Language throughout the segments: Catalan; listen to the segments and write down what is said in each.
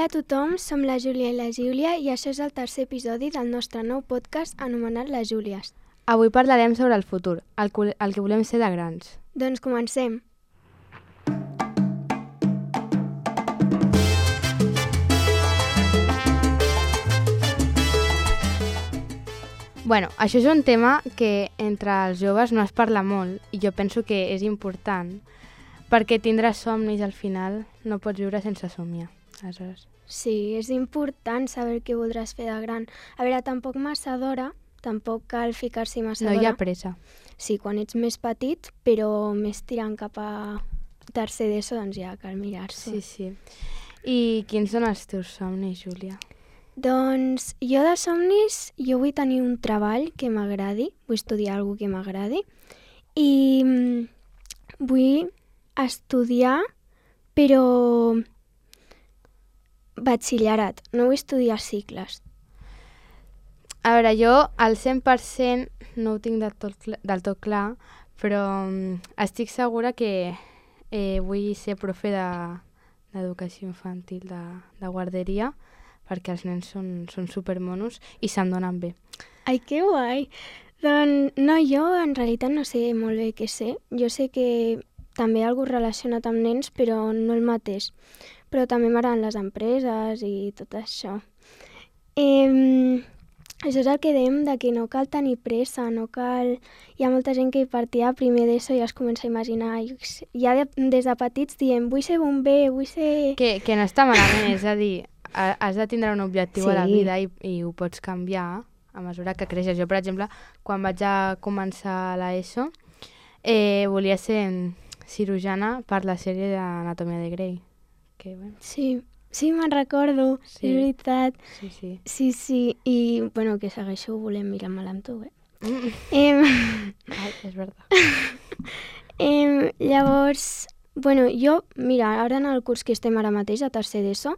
Hola a tothom, som la Júlia i la Júlia i això és el tercer episodi del nostre nou podcast anomenat Les Júlies. Avui parlarem sobre el futur, el que volem ser de grans. Doncs comencem. Bueno, això és un tema que entre els joves no es parla molt i jo penso que és important perquè tindràs somnis al final no pots viure sense somiar. Aleshores. Sí, és important saber què voldràs fer de gran. A veure, tampoc massa d'hora, tampoc cal ficar-s'hi massa d'hora. No hi ha pressa. Sí, quan ets més petit, però més tirant cap a tercer d'ESO, doncs ja cal mirar-s'ho. Sí. I quins són els teus somnis, Júlia? Doncs jo de somnis, jo vull tenir un treball que m'agradi, vull estudiar alguna que m'agradi i vull estudiar, però batxillerat, no vull estudiar cicles. A veure, jo al 100% no ho tinc del tot clar, però estic segura que vull ser profe d'educació infantil, de guarderia, perquè els nens són supermonos i se'n donen bé. Ai, que guai! Doncs no, jo en realitat no sé molt bé què sé. Jo sé que també hi ha alguna relacionat amb nens, però no el mateix. Però també m'agraden les empreses i tot això. Això és el que dèiem de que no cal tenir pressa, no cal... Hi ha molta gent que partia a primer d'ESO i ja es comença a imaginar. Ja des de petits diem, vull ser bomber, vull ser... Que no està malament, és a dir, has de tindre un objectiu a la vida i ho pots canviar a mesura que creixes. Jo, per exemple, quan vaig a començar l'ESO, volia ser cirurgiana per la sèrie d'Anatomia de Grey. Que, bueno. Sí, me'n recordo, sí. És veritat. Sí. Sí, i bueno, que segueixo volent mirar-me-la amb tu, Ai, és veritat. Llavors, bueno, jo, mira, ara en el curs que estem ara mateix, a tercer d'ESO,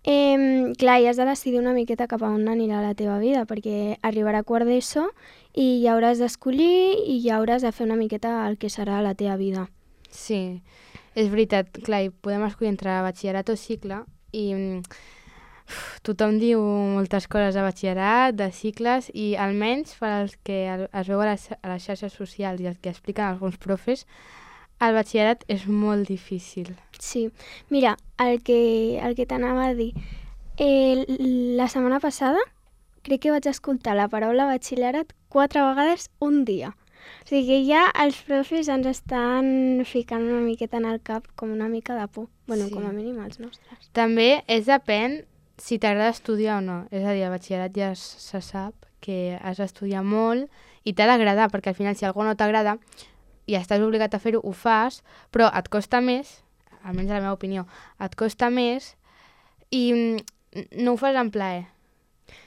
clar, ja has de decidir una miqueta cap a on anirà la teva vida, perquè arribarà quart d'ESO i ja hauràs d'escollir i ja hauràs de fer una miqueta el que serà la teva vida. Sí, és veritat, clar, i podem escollir entre batxillerat o cicle i tothom diu moltes coses de batxillerat, de cicles, i almenys per als que es veu a les xarxes socials i els que expliquen alguns profes, el batxillerat és molt difícil. Sí, mira, el que t'anava a dir, la setmana passada crec que vaig escoltar la paraula batxillerat 4 vegades un dia. O sigui que ja els profes ens estan ficant una miqueta en el cap com una mica de por. Bueno, sí. Com a mínim els nostres. També depèn si t'agrada estudiar o no. És a dir, al batxillerat ja se sap que has d'estudiar molt i t'ha d'agradar, perquè al final si algú no t'agrada i estàs obligat a fer-ho, ho fas, però et costa més, almenys a la meva opinió, et costa més i no ho fas en plaer.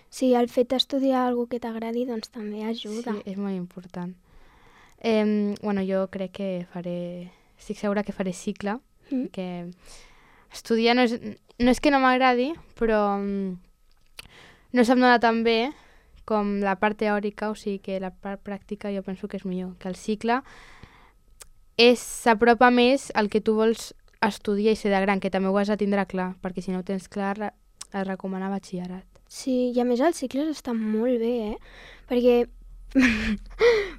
Sí, el fet d'estudiar alguna que t'agradi doncs també ajuda. Sí, és molt important. Bueno, jo crec que estic segura que faré cicle, que estudiar no és que no m'agradi, però no se'm dona tan bé com la part teòrica, o sigui que la part pràctica jo penso que és millor, que el cicle s'apropa més al que tu vols estudiar i ser de gran, que també ho has de tindre clar, perquè si no ho tens clar es recomana batxillerat. Sí, i a més els cicles estan molt bé, perquè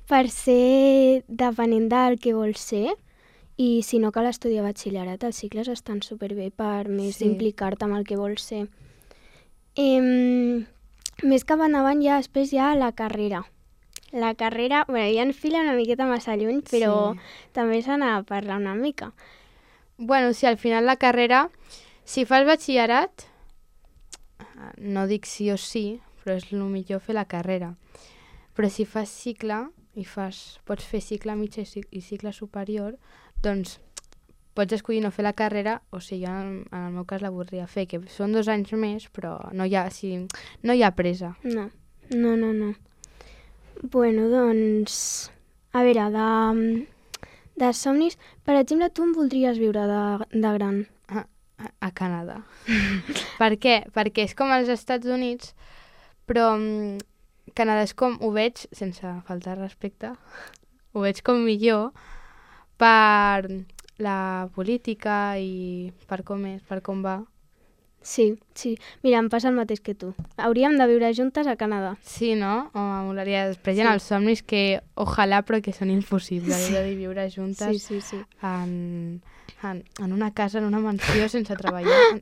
per ser depenent del que vols ser i si no cal estudiar batxillerat, els cicles estan superbé per més implicar-te amb el que vols ser. Més cap endavant ja després hi ha la carrera. La carrera, bueno, ja enfila una miqueta massa lluny, però també s'ha d'anar a parlar una mica. Bueno, sí, al final la carrera, si fas batxillerat, no dic sí o sí, però és el millor fer la carrera. Però si fas cicle i pots fer cicle mitjà i cicle superior, doncs pots escollir no fer la carrera, o sigui, jo en el meu cas la voldria fer, que són 2 anys més, però no hi ha pressa. No. Bueno, doncs, a veure, de somnis, per exemple, tu em voldries viure de gran? A Canadà. Per què? Perquè és com als Estats Units, però Canadà és com, ho veig, sense faltar respecte, ho veig com millor per la política i per com va. Sí, sí. Mira, em passa el mateix que tu. Hauríem de viure juntes a Canadà. Sí, no? Home, molaria. Després hi ha Sí. els somnis que, ojalà, però que són impossibles. Sí. De viure juntes Sí. en una casa, en una mansió, sense treballar.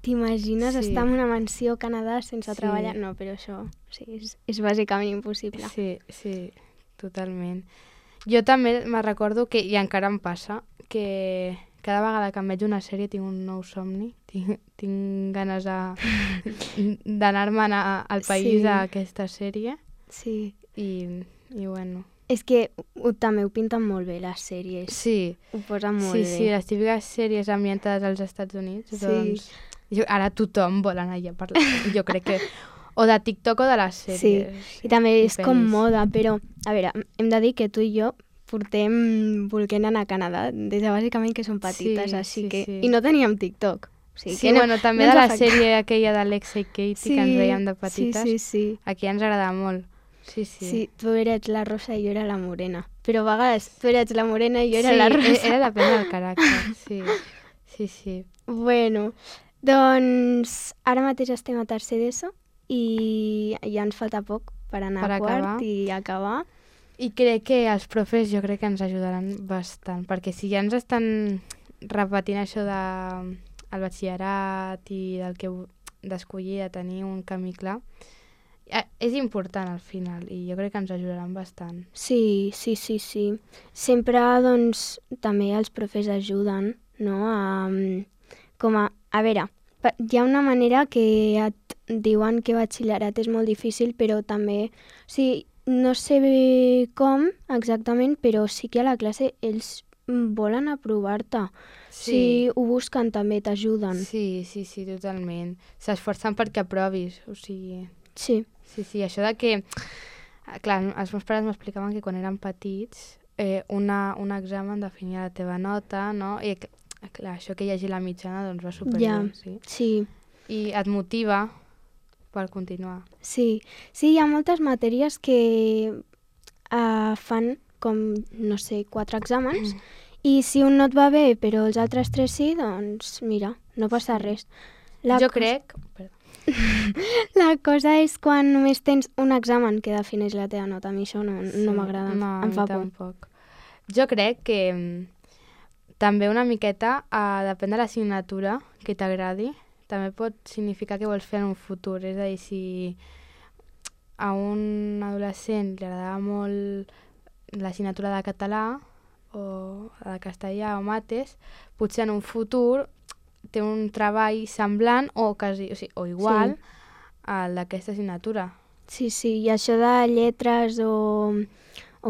T'imagines Sí. estar en una mansió a Canadà sense Sí. treballar? No, però això és bàsicament impossible. Sí, totalment. Jo també me recordo que, i encara em passa, que cada vegada que em veig una sèrie tinc un nou somni. Tinc ganes d'anar-me'n al país Sí. a aquesta sèrie. Sí. I bueno. És que també ho pinten molt bé, les sèries. Sí, Ho posen molt sí, bé. sí, les típiques sèries ambientades als Estats Units, Sí. doncs ara tothom vol anar allà a parlar. Jo crec que o de TikTok o de les sèries. I també és com pel·lis. moda, però, a veure, hem de dir que tu i jo portem volent anar a Canadà des de bàsicament que som petites, Sí, així sí, que... sí. I no teníem TikTok. O sigui, Sí, que bueno, també no de ens la afecta. sèrie aquella d'Alexa i Katie que ens veiem de petites. Sí. Aquí ens agrada molt. Sí. Sí, tu eres la rosa i jo era la morena. Però a vegades tu eres la morena i jo era Sí, la rosa. era depèn del caràcter, sí. Bueno, doncs ara mateix estem a tercer d'ESO i ja ens falta poc per anar Per a quart acabar. i acabar. I crec que els profes jo crec que ens ajudaran bastant, perquè si ja ens estan repetint això del batxillerat i d'escollir, de tenir un camí clar, és important al final i jo crec que ens ajudaran bastant. Sí. Sempre, doncs, també els profes ajuden, no? A veure, hi ha una manera que et diuen que batxillerat és molt difícil, però també... O sigui, no sé bé com exactament, però sí que a la classe ells volen aprovar-te. Si ho busquen també t'ajuden. Sí, totalment. S'esforcen perquè aprovis, o sigui... Sí. Sí, això de que... Clar, els meus pares m'explicaven que quan eren petits un examen definia la teva nota, no? I clar, això que hi hagi la mitjana doncs va superbé, Ja, sí. I et motiva per continuar. Sí, hi ha moltes matèries que fan com, no sé, 4 exàmens i si un no et va bé però els altres 3 sí, doncs mira, no passa res. Crec... La cosa és quan només tens un examen que defineix la teva nota. A mi això no m'agrada, em fa por. Tampoc. Jo crec que també una miqueta, depèn de l'assignatura que t'agradi, també pot significar què vols fer en un futur. És a dir, si a un adolescent li agradava molt l'assignatura de català o de castellà o mates, potser en un futur té un treball semblant o igual al d'aquesta assignatura. Sí, i això de lletres o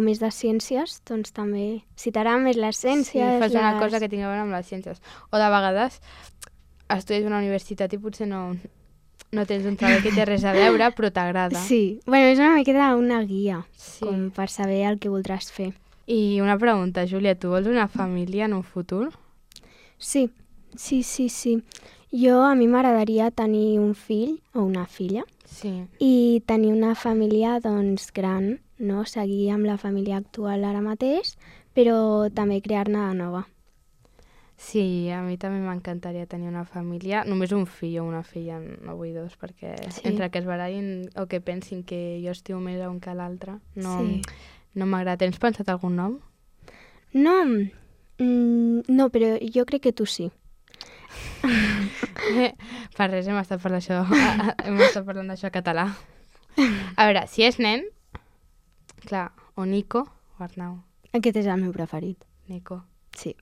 més de ciències, doncs també, si t'agraden més les ciències... Sí, fas una cosa que tingui a veure amb les ciències. O de vegades estudies a una universitat i potser no tens un treball que té res a veure, però t'agrada. Sí, bueno, és una miqueta una guia, com per saber el que voldràs fer. I una pregunta, Júlia, tu vols una família en un futur? Sí. A mi m'agradaria tenir un fill o una filla i tenir una família, doncs, gran, no? Seguir amb la família actual ara mateix, però també crear-ne de nova. Sí, a mi també m'encantaria tenir una família, només un fill o una filla, no vull dos, perquè entre que es barallin o que pensin que jo estimo més a un que a l'altre, no m'agrada. Tens pensat algun nom? No, però jo crec que tu sí. Per res hem estat parlant d'això català. A veure, si és nen, clar, o Nico o Arnau. Aquest és el meu preferit. Nico. Sí.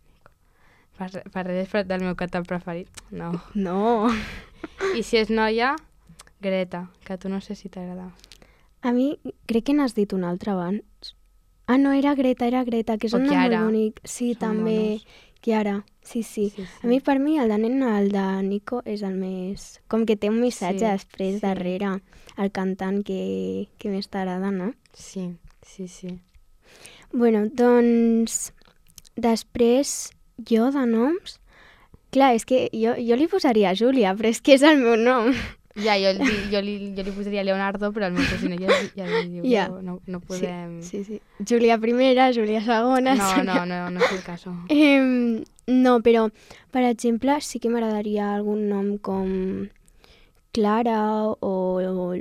Per res del meu català preferit, no. No. I si és noia, Greta, que tu no sé si t'agrada. A mi crec que n'has dit un altre abans. Ah, no, era Greta, que és un nom molt bonic. Sí, també. Chiara, sí. A mi, per mi, el de nen, el de Nico, és el més... Com que té un missatge després, darrere, el cantant que més t'agrada, no? Sí. Bueno, doncs, després, jo de noms... Clar, és que jo li posaria Júlia, però és que és el meu nom. Ja, jo li posaria Leonardo, però el meu cosí ja li diu, no podem... Sí. Júlia primera, Júlia segona... No és el cas. No, però, per exemple, sí que m'agradaria algun nom com Clara o...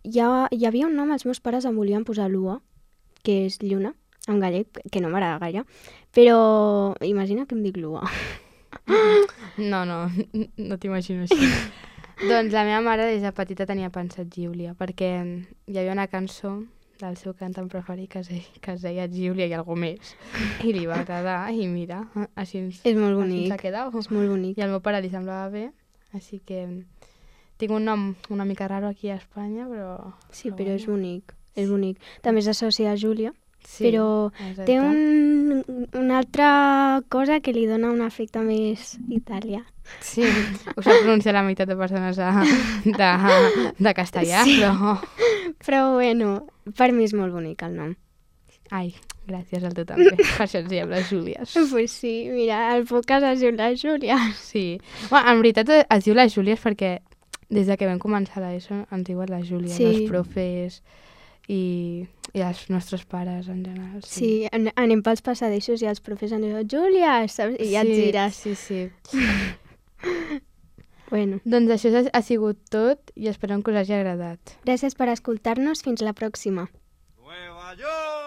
Hi havia un nom, els meus pares em volien posar Lua, que és lluna, en gallec, que no m'agrada gaire, però imagina que em dic Lua. No, no t'imagino així. Doncs la meva mare des de petita tenia pensat Giulia, perquè hi havia una cançó del seu cantant preferit que es deia Giulia i algú més. I li va agradar i mira, així És molt així bonic, s'ha quedat. és molt bonic. I al meu pare li semblava bé, així que tinc un nom una mica raro aquí a Espanya, però... Sí, però és bonic, és bonic. També s'associa a Júlia, Sí, però exacte. té una altra cosa que li dona un efecte més italià. Sí, ho sap pronunciar la meitat de persones de castellà, Sí. però... Però bueno, per mi és molt bonic el nom. Ai, gràcies a tu també. Per això ens diem les Júlies. Pues sí, mira, el podcast es diu la Júlia. Sí. Bueno, en veritat es diu les Júlies perquè des de que vam començar l'ESO ens diuen les Júlies, Sí. els profes i els nostres pares en general. Sí, anem pels passadissos i els profes ens diuen Júlia, saps? I ja et gires. Sí. Bueno, Doncs això ha sigut tot i esperem que us hagi agradat. gràcies per escoltar-nos. Fins la pròxima. Nueva York.